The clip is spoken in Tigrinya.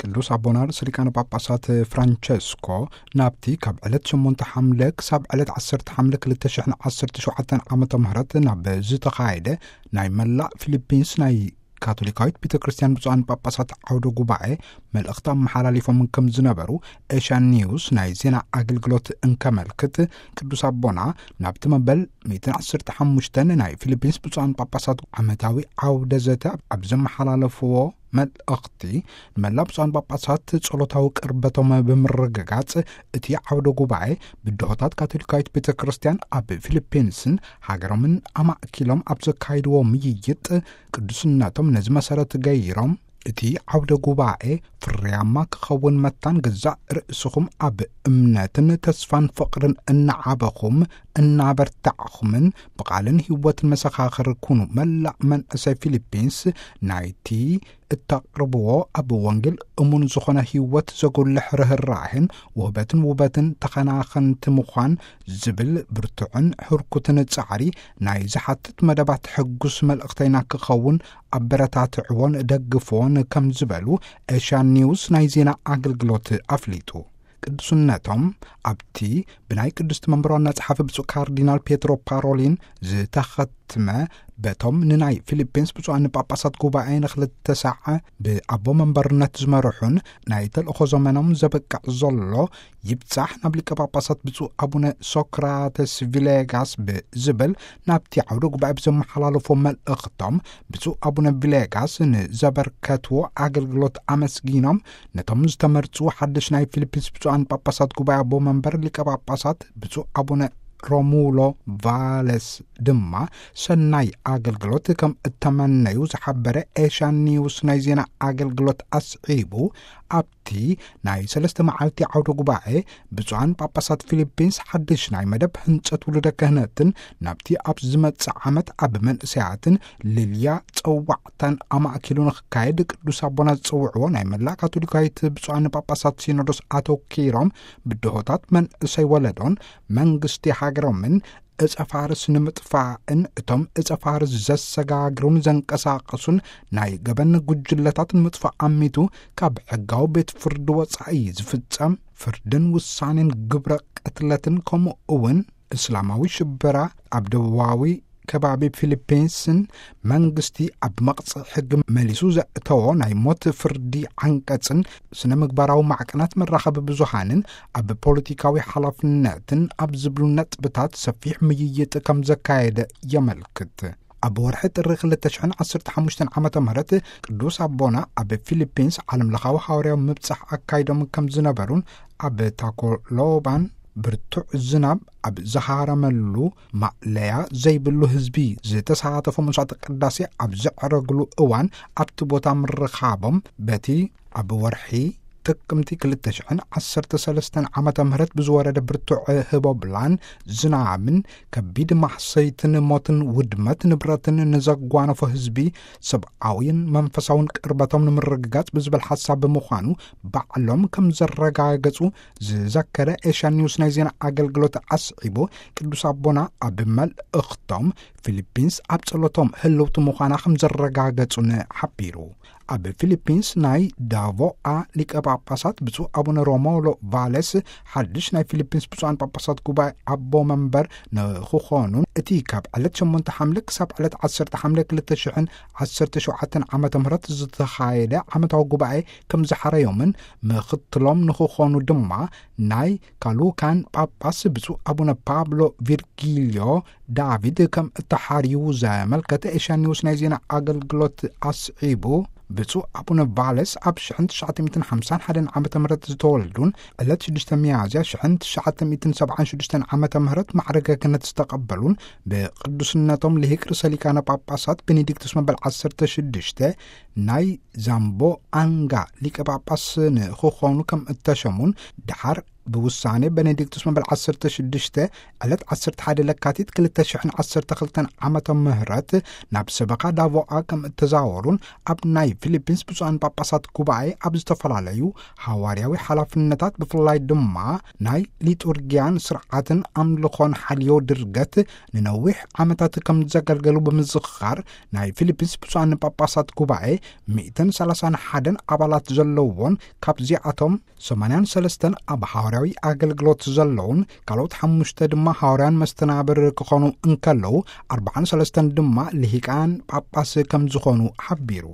ቅዱስ ኣቦና ርእሰ ሊቃነ ጳጳሳት ፍራንቸስኮ ናብቲ ካብ ዕለት ሸሞንተ ሓምለ ክሳብ ዕለት ዓሰርተ ሓምለ ክልተ ሽሕን ዓሰርተ ሸውዓተን ዓመተ ምህረት ናብ ዝተኻየደ ናይ መላእ ፊሊፒንስ ናይ ካቶሊካዊት ቤተ ክርስቲያን ብፁዓን ጳጳሳት ዓውደ ጉባኤ መልእኽቲ ኣመሓላሊፎም ከም ዝነበሩ ኤሽያን ኒውስ ናይ ዜና ኣገልግሎት እንከመልክት፣ ቅዱስ ኣቦና ናብቲ መበል ሚእትን ዓሰርተ ሓሙሽተን ናይ ፊሊፒንስ ብፁዓን ጳጳሳት ዓመታዊ ዓውደ ዘተ ኣብ ዘመሓላለፍዎ መልእኽቲ፣ ንመላእ ብፁዓን ጳጳሳት ጸሎታዊ ቅርበቶም ብምርግጋጽ፣ እቲ ዓውደ ጉባኤ ብድሆታት ካቶሊካዊት ቤተ ክርስቲያን ኣብ ፊሊፒንስን ሃገሮምን ኣማእኪሎም ኣብ ዘካይድዎ ምይይጥ፣ ቅዱስነቶም ነዚ መሰረት ገይሮም፣ እቲ ዓውደ ጉባኤ ፍርያማ ክኸውን መታን ገዛእ ርእስኹም ኣብ እምነትን ተስፋን ፍቕርን እናዓበኹም እናበርታዕኹምን ብቓልን ህይወትን መሰኻኽር ኩኑ። መላእ መንእሰይ ፊሊፒንስ ናይቲ እተቕርብዎ ኣብ ወንጌል እሙን ዝኾነ ህይወት ዘጉልሕ ርህራሄን ውህበትን ውበትን ተኸናኸንቲ ምዃን ዝብል ብርቱዕን ህርኩትን ጻዕሪ ናይ ዝሓትት መደባት ሕጉስ መልእኽተይና ክኸውን ኣበረታትዕዎን ደግፍዎን ከም ዝበሉ ኤሽያን ኒውስ ናይ ዜና ኣገልግሎት ኣፍሊጡ። ቅዱስነቶም ኣብቲ ብናይ ቅድስቲ መንበር ዋና ጸሓፊ ብፁዕ ካርዲናል ፔትሮ ፓሮሊን ዝተኸትመ፣ በቶም ንናይ ፊሊፒንስ ብፁዓን ጳጳሳት ጉባኤ ንክልተ ሳዕ ብኣቦ መንበርነት ዝመርሑን ናይ ተልእኾ ዘመኖም ዘበቅዕ ዘሎ ይብጻሕ ናብ ሊቀ ጳጳሳት ብፁዕ ኣቡነ ሶክራተስ ቪሌጋስ ብዝብል ናብቲ ዓውደ ጉባኤ ብዘመሓላለፎ መልእኽቶም፣ ብፁዕ ኣቡነ ቪሌጋስ ንዘበርከትዎ ኣገልግሎት ኣመስጊኖም፣ ነቶም ዝተመርጹ ሓድሽ ናይ ፊሊፒንስ ብፁዓን ጳጳሳት ጉባኤ ኣቦ መንበር ሊቀ ጳጳሳት ብፁዕ ኣቡነ ሮሙሎ ቫለስ ድማ ሰናይ ኣገልግሎት ከም እተመነዩ ዝሓበረ ኤሽያን ኒውስ ናይ ዜና ኣገልግሎት ኣስዒቡ፣ ኣብቲ ናይ ሰለስተ መዓልቲ ዓውደ ጉባኤ ብፁዓን ጳጳሳት ፊሊፒንስ ሓድሽ ናይ መደብ ህንጸት ውሉደ ክህነትን ናብቲ ኣብ ዝመጽእ ዓመት ኣብ መንእሰያትን ልልያ ጸዋዕታን ኣማእኪሉ ንክካየድ ቅዱስ ኣቦና ዝጸውዕዎ ናይ መላእ ካቶሊካዊት ብፁዓን ጳጳሳት ሲኖዶስ ኣተኪሮም፣ ብድሆታት መንእሰይ ወለዶን መንግስቲ ሃገሮምን እጸ ፋርስ ንምጥፋእን እቶም እጸ ፋርስ ዘሰጋግሩን ዘንቀሳቕሱን ናይ ገበን ጉጅለታት ንምጥፋእ ኣሚቱ ካብ ሕጋዊ ቤት ፍርዲ ወጻኢ ዝፍጸም ፍርድን ውሳኔን ግብረ ቅትለትን ከምኡ እውን እስላማዊ ሽበራ ኣብ ደቡባዊ ከባቢ ፊሊፒንስን መንግስቲ ኣብ መቕጽዒ ሕጊ መሊሱ ዘእተዎ ናይ ሞት ፍርዲ ዓንቀጽን ስነ ምግባራዊ ማዕቀናት መራኸቢ ብዙሃንን ኣብ ፖለቲካዊ ሓላፍነትን ኣብ ዝብሉ ነጥብታት ሰፊሕ ምይይጥ ከም ዘካየደ የመልክት። ኣብ ወርሒ ጥሪ ክልተ ሽሕን ዓሰርተ ሓሙሽተን ዓመተ ምህረት ቅዱስ ኣቦና ኣብ ፊሊፒንስ ዓለም ለኻዊ ሃዋርያዊ ምብጻሕ ኣካይዶም ከም ዝነበሩን ኣብ ታኮሎባን ብርቱዕ ዝናብ ኣብ ዝሃረመሉ ማእለያ ዘይብሉ ህዝቢ ዝተሳተፎ መስዋዕተ ቅዳሴ ኣብ ዘዕረግሉ እዋን ኣብቲ ቦታ ምርኻቦም በቲ ኣብ ወርሒ ጥቅምቲ ክልተ ሽሕን ዓሰርተ ሰለስተን ዓመተ ምህረት ብዝወረደ ብርቱዕ ህቦብላን ዝናብን ከቢድ ማሕሰይትን ሞትን ውድመት ንብረትን ንዘጓነፎ ህዝቢ ሰብኣዊን መንፈሳውን ቅርበቶም ንምርግጋጽ ብዝብል ሓሳብ ብምዃኑ ባዕሎም ከም ዘረጋገጹ ዝዘከረ ኤሽያን ኒውስ ናይ ዜና ኣገልግሎት ኣስዒቡ፣ ቅዱስ ኣቦና ኣብ መልእኽቶም ፊሊፒንስ ኣብ ጸሎቶም ህልውቲ ምዃና ከም ዘረጋገጹን ሓቢሩ። ኣብ ፊሊፒንስ ናይ ዳቮኣ ሊቀ ጳጳሳት ብፁዕ ኣቡነ ሮሞሎ ቫለስ ሓድሽ ናይ ፊሊፒንስ ብፁዓን ጳጳሳት ጉባኤ ኣቦ መንበር ንኽኾኑን እቲ ካብ ዕለት ሸሞንተ ሓምለ ክሳብ ዕለት ዓሰርተ ሓምለ ክልተ ሽሕን ዓሰርተ ሸውዓተን ዓመተ ምህረት ዝተኻየደ ዓመታዊ ጉባኤ ከም ዝሓረዮምን ምኽትሎም ንኽኾኑ ድማ ናይ ካሉካን ጳጳስ ብፁዕ ኣቡነ ፓብሎ ቪርጊልዮ ዳቪድ ከም እተሓርዩ ዘመልከተ ኤሽያ ኒውስ ናይ ዜና ኣገልግሎት ኣስዒቡ፣ ብፁዕ ኣቡነ ቫለስ ኣብ ሽሕን ትሽዓተ ሚእትን ሓምሳን ሓደን ዓመተ ምህረት ዝተወልዱን ዕለት ሽዱሽተ ሚያዝያ ሽሕን ትሽዓተ ሚእትን ሰብዓን ሽዱሽተን ዓመተ ምህረት ማዕረገ ክህነት ዝተቐበሉን ብቅዱስነቶም ልሂቅ ርእሰ ሊቃነ ጳጳሳት ቤኔዲክቱስ መበል ዓሰርተ ሽዱሽተ ናይ ዛምቦ ኣንጋ ሊቀ ጳጳስ ንኽኾኑ ከም እተሸሙን ድሓር ብውሳኔ ቤኔዲክቱስ መበል ዓሰርተ ሽዱሽተ ዕለት ዓሰርተ ሓደ ለካቲት ክልተ ሽሕን ዓሰርተ ክልተን ዓመተ ምህረት ናብ ሰበኻ ዳቮኣ ከም እተዛወሩን ኣብ ናይ ፊሊፒንስ ብፁዓን ጳጳሳት ጉባኤ ኣብ ዝተፈላለዩ ሃዋርያዊ ሓላፍነታት፣ ብፍላይ ድማ ናይ ሊጡርጊያን ስርዓትን ኣምልኾን ሓልዮ ድርገት ንነዊሕ ዓመታት ከም ዘገልገሉ ብምዝኽኻር፣ ናይ ፊሊፒንስ ብፁዓን ጳጳሳት ጉባኤ ሚእትን ሰላሳን ሓደን ኣባላት ዘለዎን ካብዚኣቶም ሰማንያን ሰለስተን ኣብ ሃዋርያዊ ኣገልግሎት ዘለውን ካልኦት ሓሙሽተ ድማ ሃዋርያን መስተናብር ክኾኑ እንከለዉ፣ ኣርባዓን ሰለስተን ድማ ልሂቃን ጳጳስ ከም ዝኾኑ ሓቢሩ።